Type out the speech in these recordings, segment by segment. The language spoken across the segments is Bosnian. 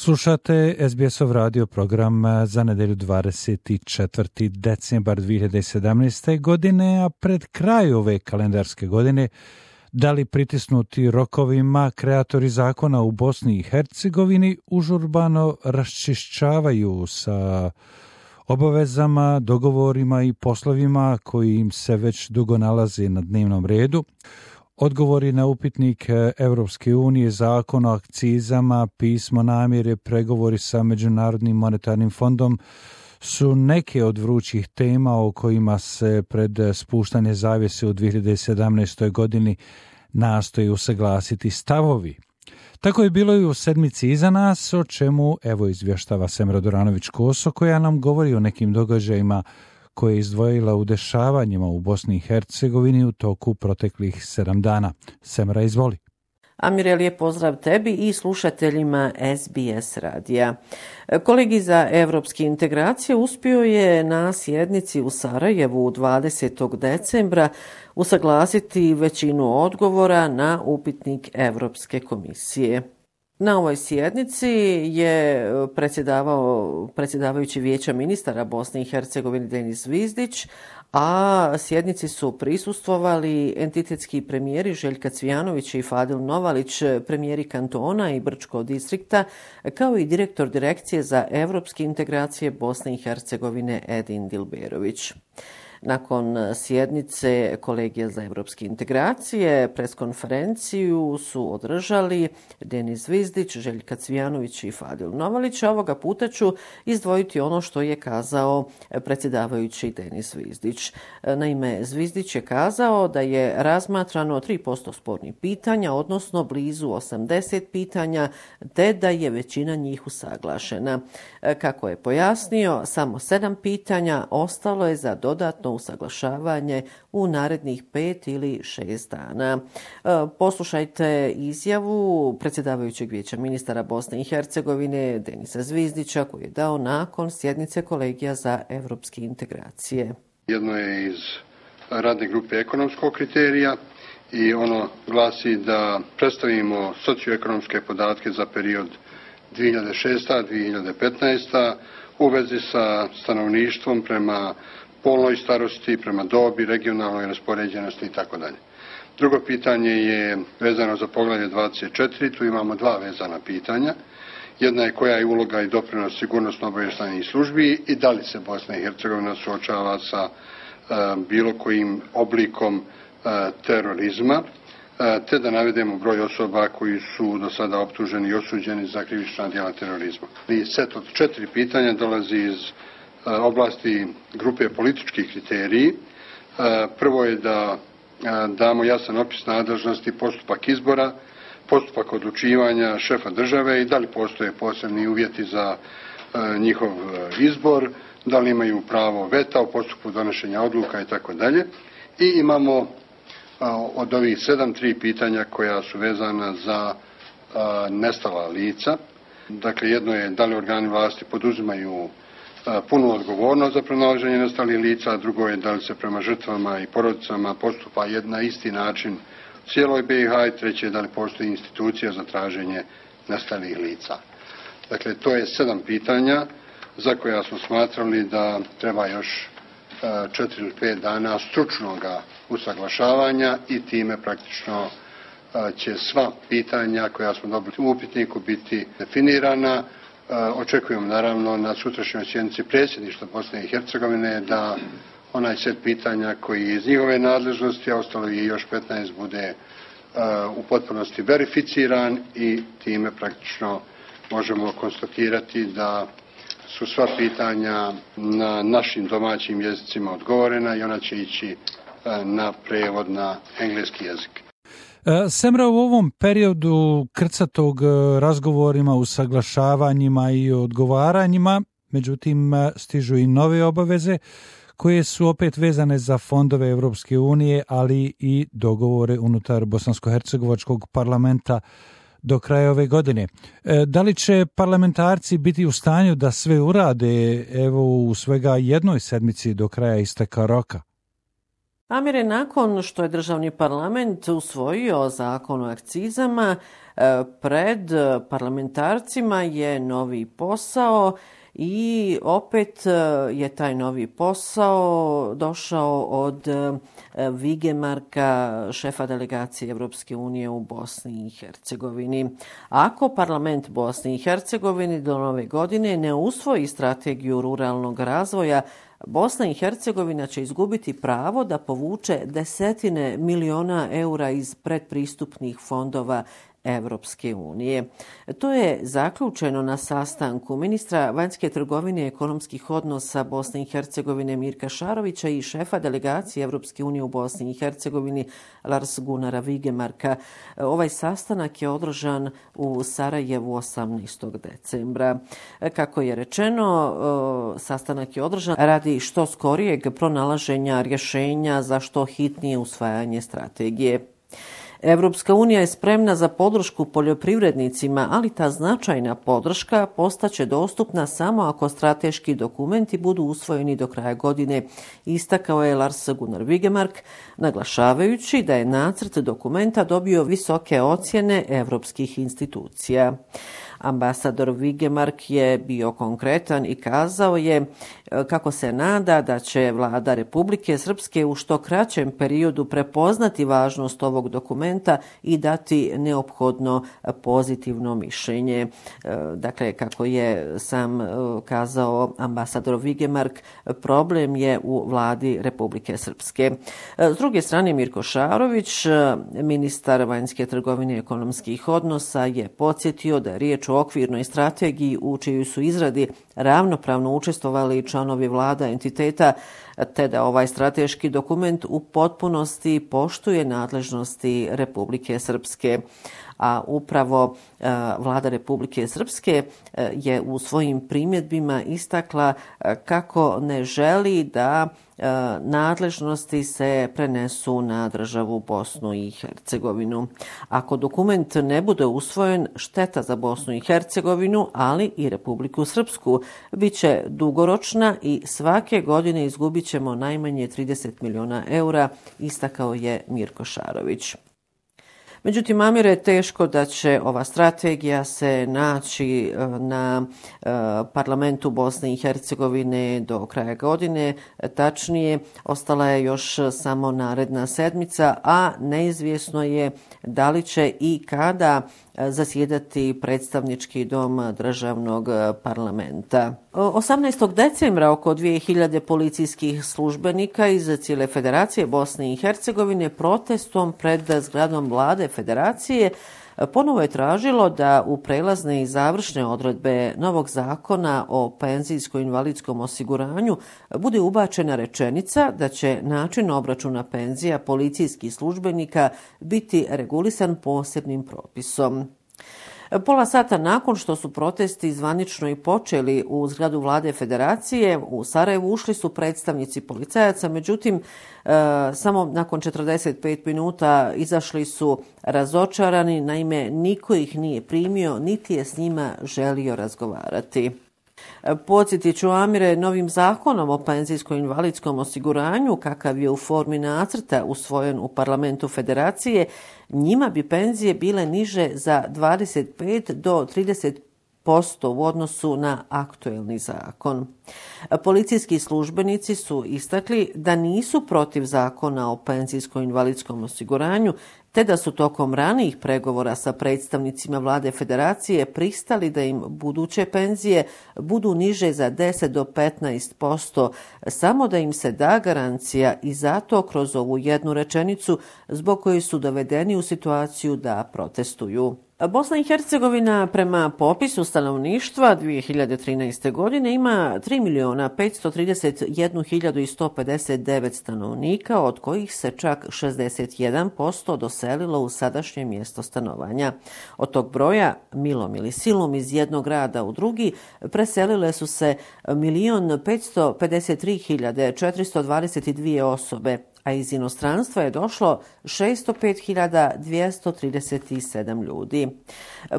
Slušate SBS-ov radio program za nedelju 24. decembar 2017. godine, a pred kraj ove kalendarske godine, da li pritisnuti rokovima, kreatori zakona u Bosni i Hercegovini užurbano raščišćavaju sa obavezama, dogovorima i poslovima koji im se već dugo nalaze na dnevnom redu. Odgovori na upitnik Evropske unije, zakon o akcizama, pismo namjere, pregovori sa Međunarodnim monetarnim fondom su neke od vrućih tema o kojima se pred spuštanje zavjese u 2017. godini nastoji usaglasiti stavovi. Tako je bilo i u sedmici iza nas, o čemu evo izvještava Semra Doranović-Koso, koja nam govori o nekim događajima koje je izdvojila u dešavanjima u Bosni i Hercegovini u toku proteklih 7 dana. Semra, izvoli. Amire, lijep pozdrav tebi i slušateljima SBS radija. Kolegi za evropske integracije uspio je na sjednici u Sarajevu 20. decembra usaglasiti većinu odgovora na upitnik Evropske komisije. Na ovoj sjednici je predsjedavajući Vijeća ministara Bosne i Hercegovine Denis Zvizdić, a sjednici su prisustvovali entitetski premijeri Željka Cvijanovića i Fadil Novalić, premijeri kantona i Brčkog distrikta, kao i direktor direkcije za evropske integracije Bosne i Hercegovine Edin Dilberović. Nakon sjednice Kolegija za evropske integracije preskonferenciju su održali Denis Zvizdić, Željka Cvijanović i Fadil Novalić. Ovoga puta ću izdvojiti ono što je kazao predsjedavajući Denis Zvizdić. Naime, Zvizdić je kazao da je razmatrano 3% spornih pitanja, odnosno blizu 80 pitanja, te da je većina njih usaglašena. Kako je pojasnio, samo 7 pitanja ostalo je za dodatno usaglašavanje u narednih 5 ili 6 dana. Poslušajte izjavu predsjedavajućeg Vijeća ministara Bosne i Hercegovine Denisa Zvizdića koji je dao nakon sjednice Kolegija za evropske integracije. Jedno je iz radne grupe ekonomskog kriterija i ono glasi da predstavimo socioekonomske podatke za period 2006-2015 u vezi sa stanovništvom prema polnoj starosti, prema dobi, regionalnoj raspoređenosti itd. Drugo pitanje je vezano za poglavlje 24, tu imamo 2 vezana pitanja. Jedna je koja je uloga i doprinos sigurnosno-obavještajnih službi i da li se Bosna i Hercegovina suočava sa bilo kojim oblikom terorizma, te da navedemo broj osoba koji su do sada optuženi i osuđeni za krivična djela terorizma. I set od 4 pitanja dolazi iz oblasti grupe političkih kriteriji. Prvo je da damo jasan opis nadležnosti, postupak izbora, postupak odlučivanja šefa države i da li postoje posebni uvjeti za njihov izbor, da li imaju pravo veta u postupku donošenja odluka itd. I imamo od ovih 3 pitanja koja su vezana za nestala lica. Dakle, jedno je da li organi vlasti poduzimaju punu odgovornost za pronalaženje nestalih lica, a drugo je da li se prema žrtvama i porodicama postupa na isti način u cijeloj BiH i treće je da li postoji institucija za traženje nestalih lica. Dakle, to je 7 pitanja za koja smo smatrali da treba još 4 ili 5 dana stručnog usaglašavanja i time praktično će sva pitanja koja smo dobili u upitniku biti definirana. Očekujemo naravno na sutrašnjoj sjednici predsjedništva Bosne i Hercegovine da onaj set pitanja koji je iz njihove nadležnosti, a ostalo je još 15, bude u potpunosti verificiran i time praktično možemo konstatirati da su sva pitanja na našim domaćim jezicima odgovorena i ona će ići na prevod na engleski jezik. Semra, u ovom periodu krcatog razgovorima, usaglašavanjima i odgovaranjima, međutim stižu i nove obaveze koje su opet vezane za fondove Evropske unije, ali i dogovore unutar Bosansko-hercegovačkog parlamenta do kraja ove godine. Da li će parlamentarci biti u stanju da sve urade evo u svega jednoj sedmici do kraja isteka roka? Amire, nakon što je državni parlament usvojio zakon o akcizama, pred parlamentarcima je novi posao i opet je taj novi posao došao od Vigemarka, šefa delegacije Evropske unije u Bosni i Hercegovini. Ako parlament Bosne i Hercegovine do nove godine ne usvoji strategiju ruralnog razvoja, Bosna i Hercegovina će izgubiti pravo da povuče desetine miliona eura iz predpristupnih fondova Evropske unije. To je zaključeno na sastanku ministra vanjske trgovine i ekonomskih odnosa Bosne i Hercegovine Mirka Šarovića i šefa delegacije Evropske unije u Bosni i Hercegovini Lars Gunnara Vigemarka. Ovaj sastanak je održan u Sarajevu 18. decembra. Kako je rečeno, sastanak je održan radi što skorijeg pronalaženja rješenja za što hitnije usvajanje strategije. Evropska unija je spremna za podršku poljoprivrednicima, ali ta značajna podrška postaće dostupna samo ako strateški dokumenti budu usvojeni do kraja godine, istakao je Lars Gunnar Vigemark, naglašavajući da je nacrt dokumenta dobio visoke ocjene evropskih institucija. Ambasador Vigemark je bio konkretan i kazao je kako se nada da će vlada Republike Srpske u što kraćem periodu prepoznati važnost ovog dokumenta i dati neophodno pozitivno mišljenje. Dakle, kako je sam kazao ambasador Vigemark, problem je u vladi Republike Srpske. S druge strane, Mirko Šarović, ministar vanjske trgovine i ekonomskih odnosa, je podsjetio da je riječ o okvirnoj strategiji u čijoj su izradi ravnopravno učestvovali članovi vlada entiteta, te da ovaj strateški dokument u potpunosti poštuje nadležnosti Republike Srpske. A upravo vlada Republike Srpske je u svojim primjedbima istakla kako ne želi da nadležnosti se prenesu na državu Bosnu i Hercegovinu. Ako dokument ne bude usvojen, šteta za Bosnu i Hercegovinu, ali i Republiku Srpsku, bit će dugoročna i svake godine izgubit ćemo najmanje 30 miliona eura, istakao je Mirko Šarović. Međutim, Amire, je teško da će ova strategija se naći na parlamentu Bosne i Hercegovine do kraja godine. Tačnije, ostala je još samo naredna sedmica, a neizvjesno je da li će i kada zasjedati predstavnički dom državnog parlamenta. 18. decembra oko 2000 policijskih službenika iz cijele Federacije Bosne i Hercegovine protestom pred zgradom vlade Federacije ponovo je tražilo da u prelazne i završne odredbe novog zakona o penzijsko-invalidskom osiguranju bude ubačena rečenica da će način obračuna penzija policijskih službenika biti regulisan posebnim propisom. Pola sata nakon što su protesti zvanično i počeli u zgradu vlade Federacije, u Sarajevu ušli su predstavnici policajaca, međutim, samo nakon 45 minuta izašli su razočarani, naime niko ih nije primio, niti je s njima želio razgovarati. Podsjetit ću, Amire, novim zakonom o penzijsko-invalidskom osiguranju, kakav je u formi nacrta usvojen u parlamentu Federacije, njima bi penzije bile niže za 25 do 30% u odnosu na aktuelni zakon. Policijski službenici su istakli da nisu protiv zakona o penzijsko-invalidskom osiguranju, te da su tokom ranijih pregovora sa predstavnicima vlade Federacije pristali da im buduće penzije budu niže za 10 do 15%, samo da im se da garancija i zato kroz ovu jednu rečenicu zbog koje su dovedeni u situaciju da protestuju. Bosna i Hercegovina prema popisu stanovništva 2013. godine ima 3.531.159 stanovnika, od kojih se čak 61% doselilo u sadašnje mjesto stanovanja. Od tog broja, milom ili silom iz jednog grada u drugi, preselile su se 1.553.422 osobe, a iz inostranstva je došlo 605.237 ljudi.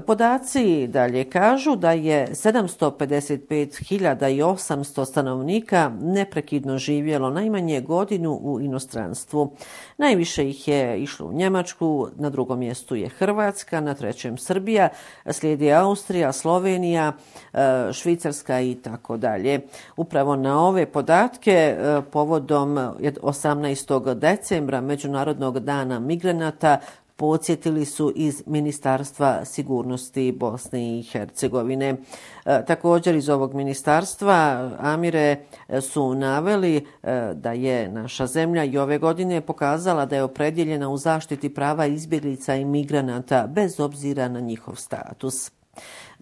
Podaci dalje kažu da je 755.800 stanovnika neprekidno živjelo najmanje godinu u inostranstvu. Najviše ih je išlo u Njemačku, na drugom mjestu je Hrvatska, na trećem Srbija, slijedi Austrija, Slovenija, Švicarska i tako dalje. Upravo na ove podatke povodom 18. decembra Međunarodnog dana migranata podsjetili su iz Ministarstva sigurnosti Bosne i Hercegovine. Također iz ovog ministarstva, Amire, su naveli da je naša zemlja i ove godine pokazala da je opredjeljena u zaštiti prava izbjeglica i migranata bez obzira na njihov status.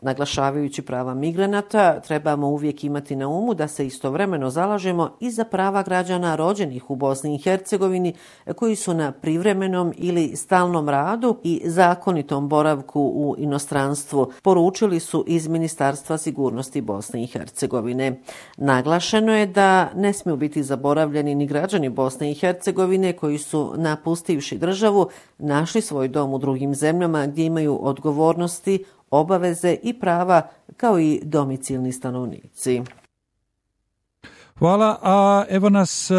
Naglašavajući prava migranata, trebamo uvijek imati na umu da se istovremeno zalažemo i za prava građana rođenih u Bosni i Hercegovini koji su na privremenom ili stalnom radu i zakonitom boravku u inostranstvu, poručili su iz Ministarstva sigurnosti Bosne i Hercegovine. Naglašeno je da ne smiju biti zaboravljeni ni građani Bosne i Hercegovine koji su, napustivši državu, našli svoj dom u drugim zemljama gdje imaju odgovornosti, obaveze i prava kao i domicilni stanovnici. Hvala, a evo nas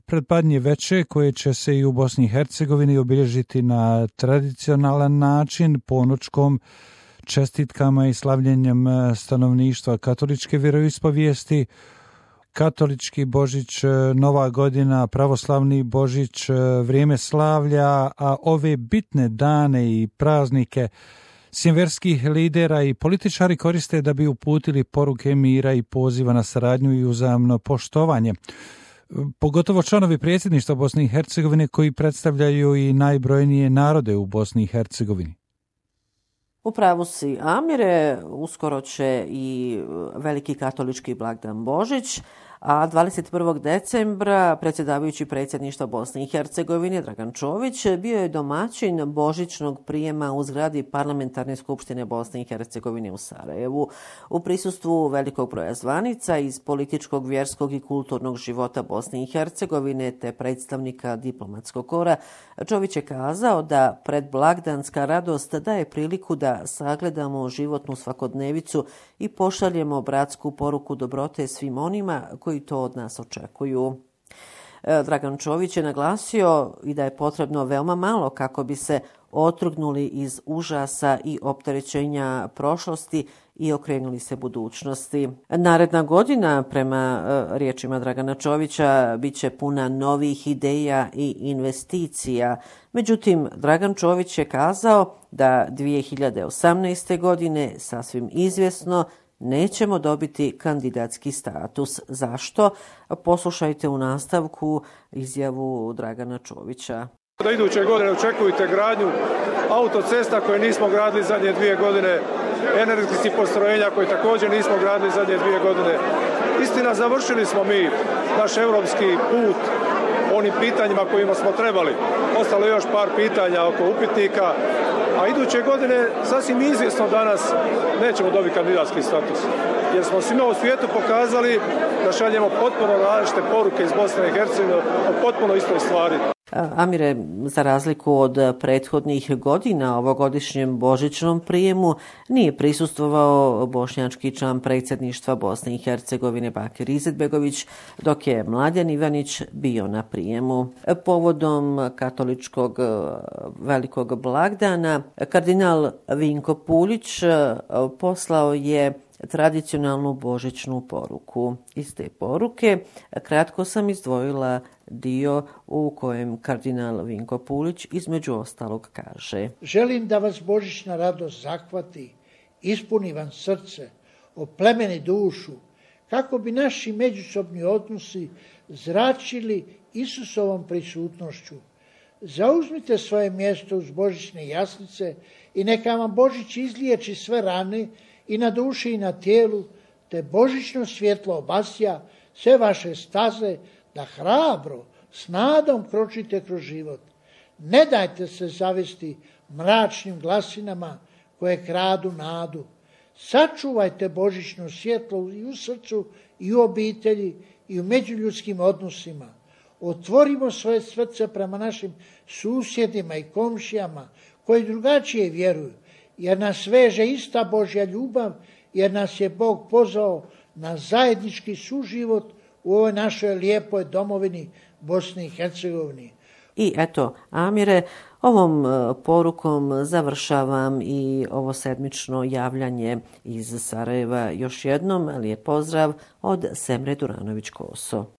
pred Badnje veče koje će se i u Bosni i Hercegovini obilježiti na tradicionalan način, ponoćkom, čestitkama i slavljenjem stanovništva katoličke vjeroispovijesti, katolički Božić, Nova godina, pravoslavni Božić, vrijeme slavlja, a ove bitne dane i praznike svjetskih lidera i političari koriste da bi uputili poruke mira i poziva na saradnju i uzajamno poštovanje. Pogotovo članovi predsjedništva Bosne i Hercegovine koji predstavljaju i najbrojnije narode u Bosni i Hercegovini. U pravu si, Amire, uskoro će i veliki katolički blagdan Božić, a 21. decembra predsjedavajući predsjedništva Bosne i Hercegovine Dragan Čović bio je domaćin božićnog prijema u zgradi Parlamentarne skupštine Bosne i Hercegovine u Sarajevu. U prisustvu velikog broja zvanica iz političkog, vjerskog i kulturnog života Bosne i Hercegovine te predstavnika diplomatskog kora, Čović je kazao da predblagdanska radost daje priliku da sagledamo životnu svakodnevicu i pošaljemo bratsku poruku dobrote svim onima koji to od nas očekuju. Dragan Čović je naglasio i da je potrebno veoma malo kako bi se otrgnuli iz užasa i opterećenja prošlosti i okrenuli se budućnosti. Naredna godina, prema riječima Dragana Čovića, bit će puna novih ideja i investicija. Međutim, Dragan Čović je kazao da 2018. godine sasvim izvjesno nećemo dobiti kandidatski status. Zašto? Poslušajte u nastavku izjavu Dragana Čovića. Da iduće godine očekujete gradnju autocesta koje nismo gradili zadnje 2 godine, energetskih postrojenja koje također nismo gradili zadnje 2 godine. Istina, završili smo mi naš europski put onim pitanjima kojima smo trebali. Ostalo je još par pitanja oko upitnika, a iduće godine sasvim izvjesno danas nećemo dobiti kandidatski status. Jer smo svima u svijetu pokazali da šaljemo potpuno različite poruke iz Bosne i Hercegovine o potpuno istoj stvari. Amire, za razliku od prethodnih godina ovogodišnjem božićnom prijemu nije prisustvovao bošnjački član predsjedništva Bosne i Hercegovine Bakir Izetbegović, dok je Mladen Ivanić bio na prijemu. Povodom katoličkog velikog blagdana, kardinal Vinko Puljić poslao je tradicionalnu božićnu poruku. Iz te poruke kratko sam izdvojila dio u kojem kardinal Vinko Puljić između ostalog kaže: Želim da vas božićna radost zahvati, ispuni vam srce, oplemeni dušu, kako bi naši međusobni odnosi zračili Isusovom prisutnošću. Zauzmite svoje mjesto uz božićne jaslice i neka vam Božić izliječi sve rane i na duši i na tijelu, te božićno svjetlo obasja sve vaše staze, da hrabro, s nadom kročite kroz život. Ne dajte se zavesti mračnim glasinama koje kradu nadu. Sačuvajte božićno svjetlo i u srcu, i u obitelji, i u međuljudskim odnosima. otvorimo svoje srce prema našim susjedima i komšijama koji drugačije vjeruju, jer nas veže ista Božja ljubav, jer nas je Bog pozvao na zajednički suživot u ovoj našoj lijepoj domovini Bosni i Hercegovini. I eto, Amire, ovom porukom završavam i ovo sedmično javljanje iz Sarajeva. Još jednom lijep pozdrav od Semre Duranović-Koso.